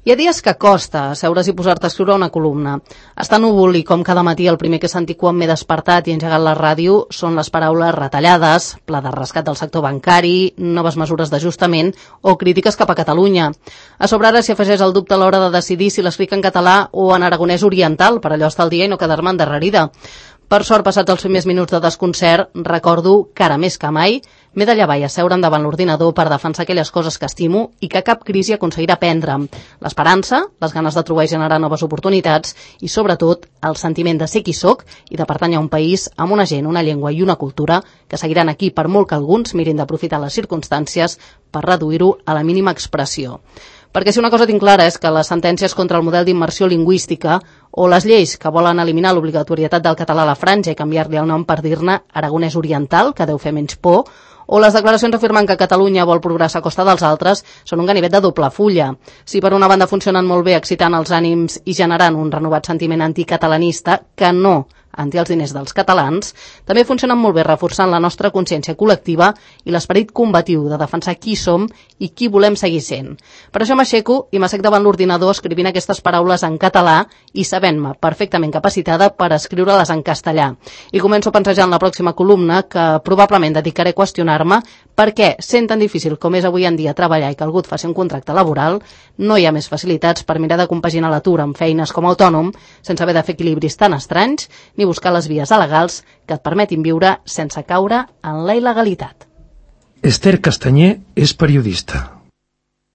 Hi ha dies que costa asseure's i posar-te a escriure una columna. Està núvol i com cada matí el primer que he sentit quan m'he despertat i engegat la ràdio són les paraules retallades, pla de rescat del sector bancari, noves mesures d'ajustament o crítiques cap a Catalunya. A sobre ara s'hi afegeix el dubte a l'hora de decidir si l'escric en català o en aragonès oriental, per allò estar al dia i no quedar-me endarrerida. Per sort, passats els primers minuts de desconcert, recordo que ara més que mai m'he de llevar i asseure'm davant l'ordinador per defensar aquelles coses que estimo i que cap crisi aconseguirà prendre'm. L'esperança, les ganes de trobar i generar noves oportunitats i, sobretot, el sentiment de ser qui soc i de pertànyer a un país amb una gent, una llengua i una cultura que seguiran aquí per molt que alguns mirin d'aprofitar les circumstàncies per reduir-ho a la mínima expressió. Perquè si una cosa tinc clara és que les sentències contra el model d'immersió lingüística o les lleis que volen eliminar l'obligatorietat del català a la franja i canviar-li el nom per dir-ne aragonès oriental, que deu fer menys por, o les declaracions afirmant que Catalunya vol progressar a costa dels altres són un ganivet de doble fulla. Si per una banda funcionen molt bé excitant els ànims i generant un renovat sentiment anticatalanista que no anti els diners dels catalans, també funcionen molt bé reforçant la nostra consciència col·lectiva i l'esperit combatiu de defensar qui som i qui volem seguir sent. Per això m'aixeco i m'assec davant l'ordinador escrivint aquestes paraules en català i sabent-me perfectament capacitada per escriure-les en castellà. I començo pensejant la pròxima columna que probablement dedicaré a qüestionar-me per què, sent tan difícil com és avui en dia treballar i que algú et faci un contracte laboral, no hi ha més facilitats per mirar de compaginar l'atur amb feines com a autònom, sense haver de fer equilibris tan estranys, ni buscar les vies legals que et permetin viure sense caure en la il·legalitat. Esther Castanyer és periodista.